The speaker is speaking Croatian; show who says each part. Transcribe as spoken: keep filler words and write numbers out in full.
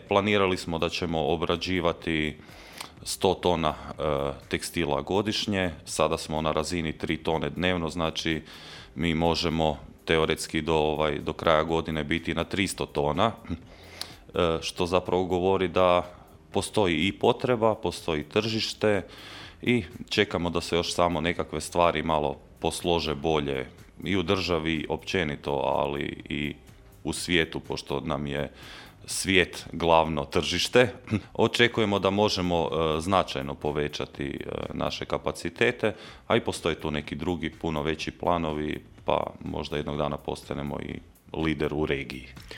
Speaker 1: Planirali smo da ćemo obrađivati sto tona e, tekstila godišnje, sada smo na razini tri tone dnevno, znači mi možemo teoretski do, ovaj, do kraja godine biti na tristo tona, e, što zapravo govori da postoji i potreba, postoji tržište i čekamo da se još samo nekakve stvari malo poslože bolje i u državi općenito, ali i u svijetu, pošto nam je svijet glavno tržište. Očekujemo da možemo e, značajno povećati e, naše kapacitete, a i postoje tu neki drugi puno veći planovi, pa možda jednog dana postanemo i lider u regiji.